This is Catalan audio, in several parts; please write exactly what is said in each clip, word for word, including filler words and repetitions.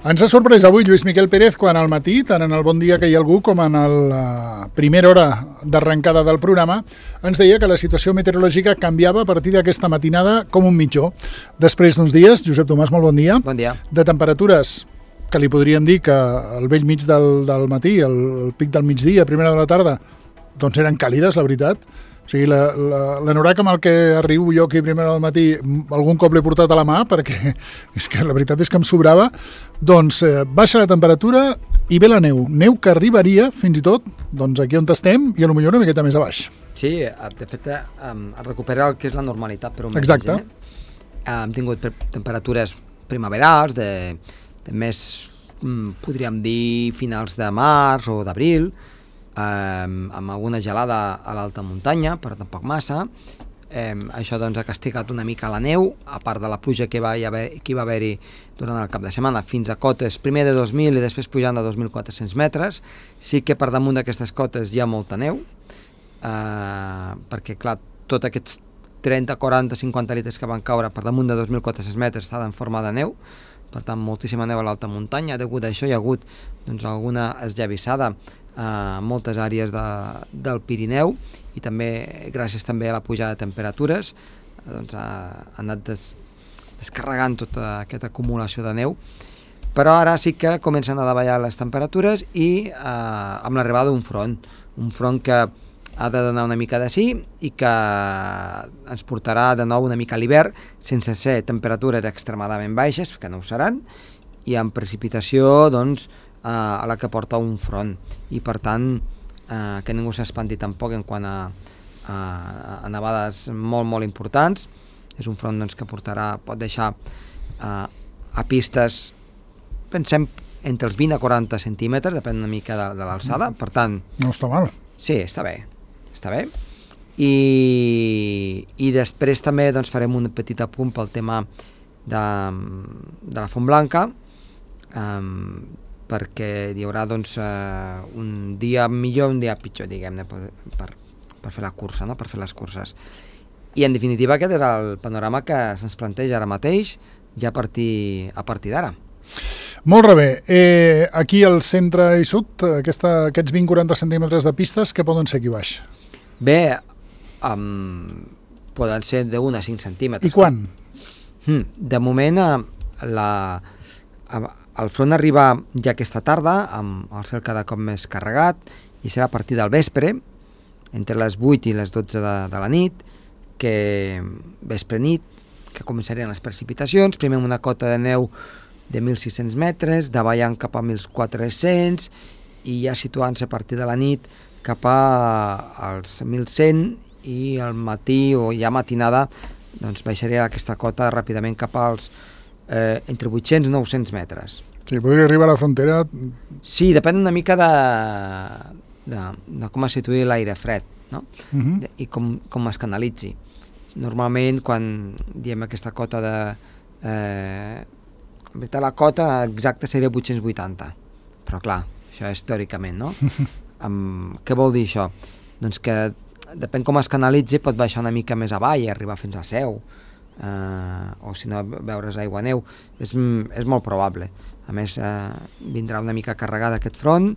Ens ha sorprès avui Lluís Miquel Pérez quan al matí, tant en el Bon Dia que hi ha algú com en la primera hora d'arrencada del programa, ens deia que la situació meteorològica canviava a partir d'aquesta matinada com un mitjó. Després d'uns dies, Josep Tomàs, molt bon dia. Bon dia. De temperatures que li podríem dir que al vell mig del, del matí, el, el pic del migdia, a primera de la tarda, doncs eren càlides, la veritat. O sigui, l'anorac amb el que arribo jo aquí a primera del matí, algun cop l'he portat a la mà, perquè és que la veritat és que em sobrava, doncs eh, baixa la temperatura i ve la neu. Neu que arribaria, fins i tot, doncs aquí on estem, i potser una miqueta més a baix. Sí, de fet, um, recupera el que és la normalitat per un mes. Exacte. Eh? Hem tingut temperatures primaverals, de, de més, podríem dir, finals de març o d'abril, Um, amb alguna gelada a l'alta muntanya, però tampoc massa. Um, això doncs ha castigat una mica la neu, a part de la pluja que va haver, que va haver-hi durant el cap de setmana, fins a cotes primer de dos mil i després pujant a dos mil quatre-cents metres. Sí que per damunt d'aquestes cotes hi ha molta neu, uh, perquè clar, tots aquests trenta, quaranta, cinquanta litres que van caure per damunt de dos mil quatre-cents metres estaven en forma de neu, per tant moltíssima neu a l'alta muntanya. Degut a això hi ha hagut doncs, alguna esllavissada a moltes àrees de, del Pirineu, i també gràcies també a la pujada de temperatures doncs ha, ha anat des, descarregant tota aquesta acumulació de neu, però ara sí que comencen a davallar les temperatures i eh, amb l'arribada d'un front un front que ha de donar una mica de sí i que ens portarà de nou una mica a l'hivern, sense ser temperatures extremadament baixes, que no ho seran, i amb precipitació doncs a la que porta un front, i per tant eh, que ningú s'espanti tampoc en quant a, a, a nevades molt molt importants. És un front doncs, que portarà, pot deixar eh, a pistes, pensem, entre els vint a quaranta centímetres, depèn una mica de, de l'alçada, per tant... No està mal. Sí, està bé, està bé. I, i després també doncs, farem un petit apunt pel tema de, de la Font Blanca, um, perquè hi haurà doncs, uh, un dia millor, un dia pitjor, diguem-ne, per, per, per fer la cursa, no? Per fer les curses. I en definitiva aquest és el panorama que se'ns planteja ara mateix, ja a partir, a partir d'ara. Molt bé. Eh, aquí al centre i sud, aquesta, aquests vint a quaranta centímetres de pistes, què poden ser aquí baix? Bé, um, poden ser d'un a cinc centímetres. I quan? Hmm, de moment, uh, la... Uh, el front arriba ja aquesta tarda, amb el cel cada cop més carregat, i serà a partir del vespre, entre les vuit i les dotze de, de la nit, que vespre-nit, que començarien les precipitacions, primer amb una cota de neu de mil sis-cents metres, davallant cap a mil quatre-cents, i ja situant-se a partir de la nit cap als mil cent, i al matí o ja matinada doncs baixaria aquesta cota ràpidament cap als Eh, entre vuit-cents i nou-cents metres. Sí, podria arribar a la frontera... Sí, depèn una mica de, de, de com es situï l'aire fred, no? Uh-huh. de, i com, com es canalitzi. Normalment, quan diem aquesta cota de... Eh, en veritat, la cota exacta seria vuit-cents vuitanta, però clar, això és teòricament, no? Amb, què vol dir això? Doncs que depèn com es canalitzi, pot baixar una mica més avall i arribar fins a Seu, Uh, o si no veure's aigua neu, és, és molt probable. A més uh, vindrà una mica carregada aquest front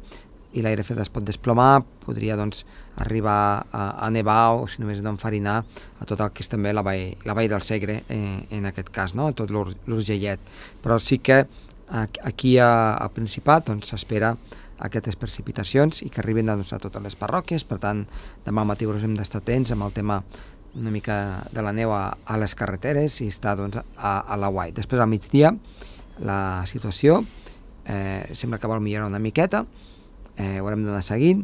i l'aire fred es pot desplomar, podria doncs arribar a, a nevar o si només no enfarinar a tot el que és també la vall, la vall del Segre eh, en aquest cas, no? Tot l'Urgellet. Però sí que aquí a, a Principat doncs s'espera aquestes precipitacions i que arriben doncs, a totes les parròquies. Per tant, demà al matí hem d'estar atents amb el tema una mica de la neu a, a les carreteres i està doncs, a, a la Guai. Després al migdia la situació eh, sembla que vol millorar una miqueta, eh, ho haurem d'anar seguint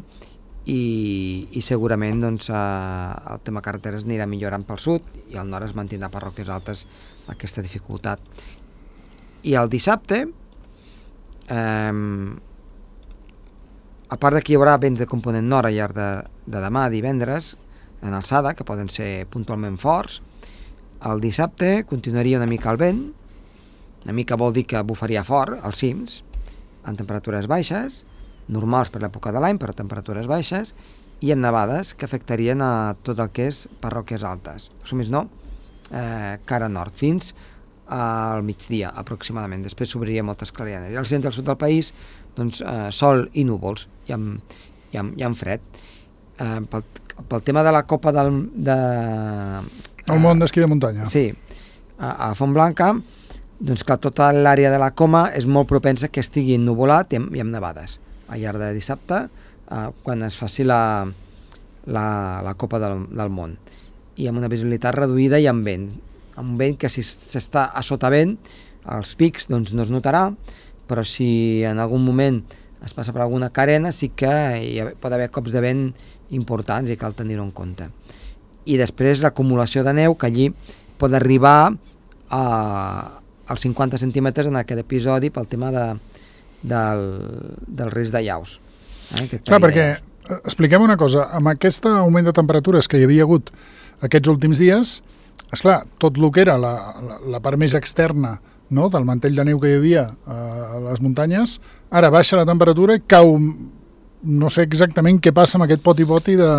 i, i segurament doncs, eh, el tema carreteres anirà millorant pel sud i al nord es mantindrà parròquies altes aquesta dificultat. I el dissabte, eh, a part de que hi haurà vents de component nord al llarg de, de demà, divendres, en alçada, que poden ser puntualment forts, el dissabte continuaria una mica el vent, una mica vol dir que bufaria fort als cims, amb temperatures baixes, normals per l'època de l'any, però temperatures baixes, i amb nevades que afectarien a tot el que és parròquies altes, o més no, eh, cara nord, fins al migdia, aproximadament. Després s'obriria moltes clarianes. I al centre i al sud del país, doncs, eh, sol i núvols, i amb, i amb, i amb fred. Eh, pel, pel tema de la Copa del... De, el món d'esquí de muntanya. Sí, a, a Fontblanca, doncs clar, tota l'àrea de la Coma és molt propensa que estigui ennuvolat i amb, i amb nevades. Al llarg de dissabte, eh, quan es faci la, la, la Copa del, del món. I amb una visibilitat reduïda i amb vent. Amb vent que si s'està a sota vent, els pics doncs no es notarà, però si en algun moment es passa per alguna carena sí que hi ha, pot haver cops de vent importants i cal tenir-ho en compte. I després l'acumulació de neu, que allí pot arribar a, als cinquanta centímetres en aquest episodi pel tema de, del, del risc de llaus. Eh? Clar, perquè, expliquem una cosa, amb aquest augment de temperatures que hi havia hagut aquests últims dies, esclar, tot el que era la, la, la part més externa, no?, del mantell de neu que hi havia a les muntanyes, ara baixa la temperatura i cau, no sé exactament què passa amb aquest poti-poti de,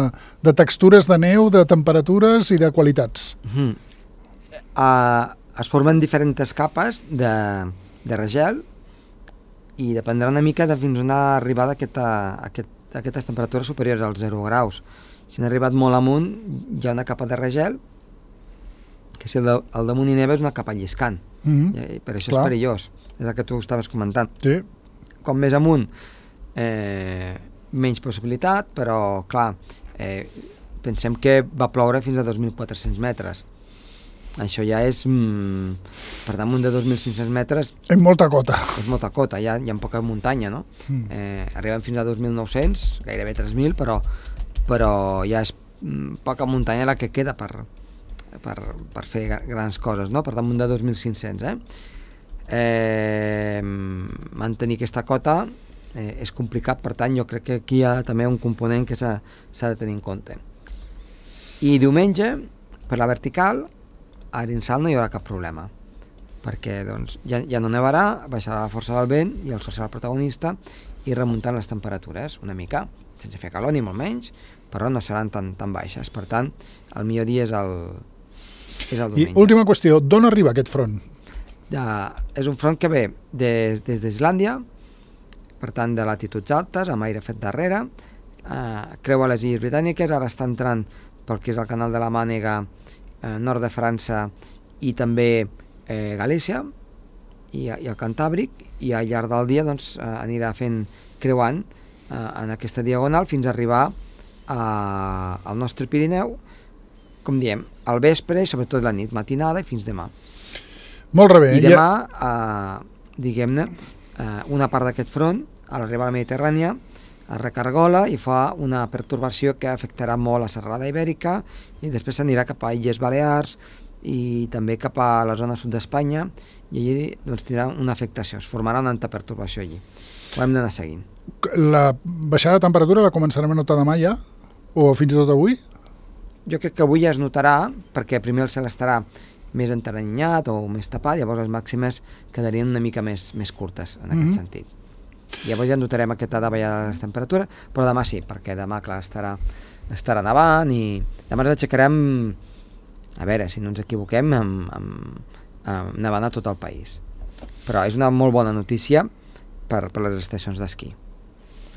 de textures de neu, de temperatures i de qualitats. Mm-hmm. Uh, es formen diferents capes de, de regel i dependrà una mica de fins on ha arribat aquesta, aquest, aquestes temperatures superiors als zero graus. Si han arribat molt amunt, hi ha una capa de regel, que si el, de, el damunt hi neva és una capa lliscant. Mm-hmm. I per això Clar. És perillós. És el que tu estaves comentant. Sí. Com més amunt, eh, menys possibilitat, però, clar, eh, pensem que va ploure fins a dos mil quatre-cents metres. Això ja és, mm, per damunt de dos mil cinc-cents metres... És molta cota. És molta cota, ja hi ha poca muntanya, no? Mm. Eh, arribem fins a dos mil nou-cents, gairebé tres mil, però, però ja és mm, poca muntanya la que queda per, per, per fer grans coses, no? Per damunt de dos mil cinc-cents, eh? Eh, mantenir aquesta cota eh, és complicat, per tant jo crec que aquí hi ha també un component que s'ha de tenir en compte. I diumenge, per la vertical, a Arinsal no hi haurà cap problema, perquè doncs, ja, ja no nevarà, baixarà la força del vent i el sol serà el protagonista i remuntant les temperatures una mica, sense fer calor ni molt menys, però no seran tan, tan baixes. Per tant, el millor dia és el, és el diumenge. I última qüestió, d'on arriba aquest front? De, és un front que ve des, des d'Islàndia, per tant de latituds altes, amb aire fet darrere, eh, creua les illes britàniques, ara està entrant pel que és el canal de la Mànega, eh, nord de França i també eh, Galícia i, i el Cantàbric, i al llarg del dia doncs, eh, anirà fent creuant eh, en aquesta diagonal fins a arribar a, al nostre Pirineu, com diem, al vespre i sobretot la nit, matinada i fins demà. Molt bé. I demà, ja... eh, diguem-ne, eh, una part d'aquest front, a l'arribar a la Mediterrània, es recargola i fa una pertorbació que afectarà molt la serralada ibèrica i després s'anirà cap a Illes Balears i també cap a la zona sud d'Espanya i allí doncs, tindrà una afectació, es formarà una alta pertorbació allí. Ho hem d'anar seguint. La baixada de temperatura la començarem a notar demà ja? O fins i tot avui? Jo crec que avui ja es notarà, perquè primer el cel estarà més enteranyat o més tapat, llavors les màximes quedarien una mica més, més curtes en aquest mm-hmm. sentit. Llavors ja notarem aquesta davallada de les temperatures, però demà sí, perquè demà, clar, estarà, estarà nevant i demà ens aixecarem, a veure, si no ens equivoquem, amb, amb, amb nevant a tot el país. Però és una molt bona notícia per, per les estacions d'esquí.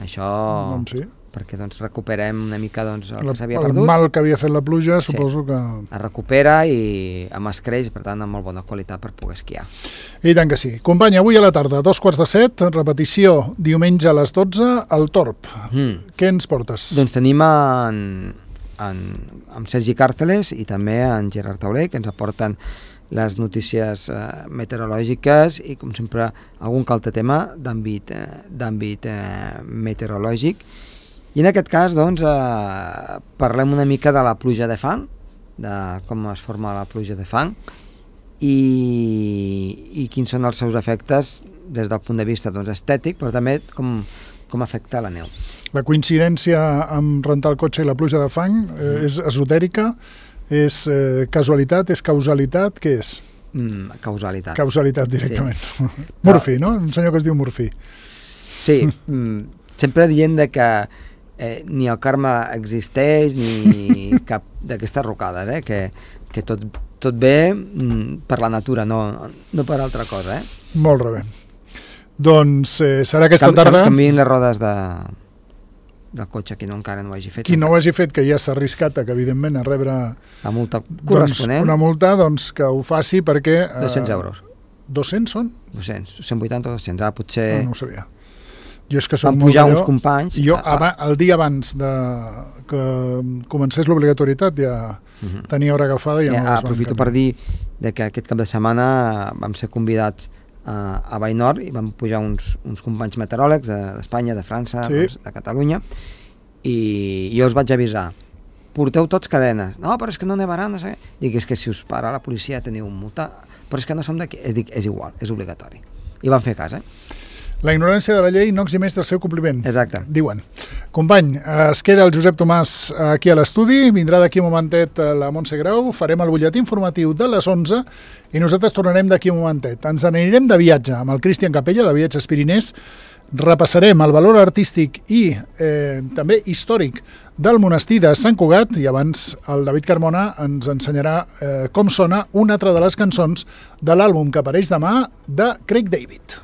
Això... Doncs sí. Perquè doncs, recuperem una mica doncs, el la, que s'havia perdut. El mal que havia fet la pluja, sí. Suposo que... Es recupera i amb escreix, per tant, amb molt bona qualitat per poder esquiar. I tant que sí. Company, avui a la tarda, dos quarts de set, repetició diumenge a les dotze, al Torb. Mm. Què ens portes? Doncs tenim en, en, en Sergi Càrceles i també en Gerard Tauler, que ens aporten les notícies eh, meteorològiques i, com sempre, algun que altre tema d'àmbit eh, d'àmbit eh, meteorològic. I en aquest cas, doncs, eh, parlem una mica de la pluja de fang, de com es forma la pluja de fang i, i quins són els seus efectes des del punt de vista doncs, estètic, però també com, com afecta la neu. La coincidència amb rentar el cotxe i la pluja de fang eh, mm. és esotèrica, és eh, casualitat, és causalitat, què és? Mm, causalitat. Causalitat directament. Sí. Murphy, no? Un senyor que es diu Murphy. Sí, mm, sempre dient de que Eh, ni el karma existeix, ni cap, d'aquestes rocades, eh? que, que tot, tot ve mm, per la natura, no, no per altra cosa. Eh? Molt bé. Doncs eh, serà aquesta Cam, tarda... Canviïn les rodes de, del cotxe, qui no encara no ho hagi fet. Qui no ho hagi fet, que ja s'ha arriscat, que evidentment a rebre la multa corresponent, doncs, una multa, doncs que ho faci perquè... Eh, dos-cents euros. dos-cents són? dos-cents, cent vuitanta o dos-cents, ara potser... No, no ho sabia. Jo és que som van pujar molt uns companys... Jo, a, a... el dia abans de que comencés l'obligatorietat ja uh-huh. tenia hora agafada i ja, ja no les aprofito per dir de que aquest cap de setmana vam ser convidats a, a Vallnord i vam pujar uns, uns companys meteoròlegs d'Espanya, de França, sí. doncs, de Catalunya, i jo els vaig avisar, porteu tots cadenes. No, però és que no nevarà, no sé. Dic, és que si us para la policia teniu multa, però és que no som d'aquí. Dic, és igual, és obligatori. I van fer cas, eh? La ignorància de la llei no eximeix del seu compliment. Exacte. Diuen. Company, es queda el Josep Tomàs aquí a l'estudi, vindrà d'aquí un momentet la Montse Grau, farem el butlletí informatiu de les onze i nosaltres tornarem d'aquí un momentet. Ens anirem de viatge amb el Cristian Capella, de Viatges Pirinès, repassarem el valor artístic i eh, també històric del monestir de Sant Cugat i abans el David Carmona ens ensenyarà eh, com sona una altra de les cançons de l'àlbum que apareix demà de Craig David.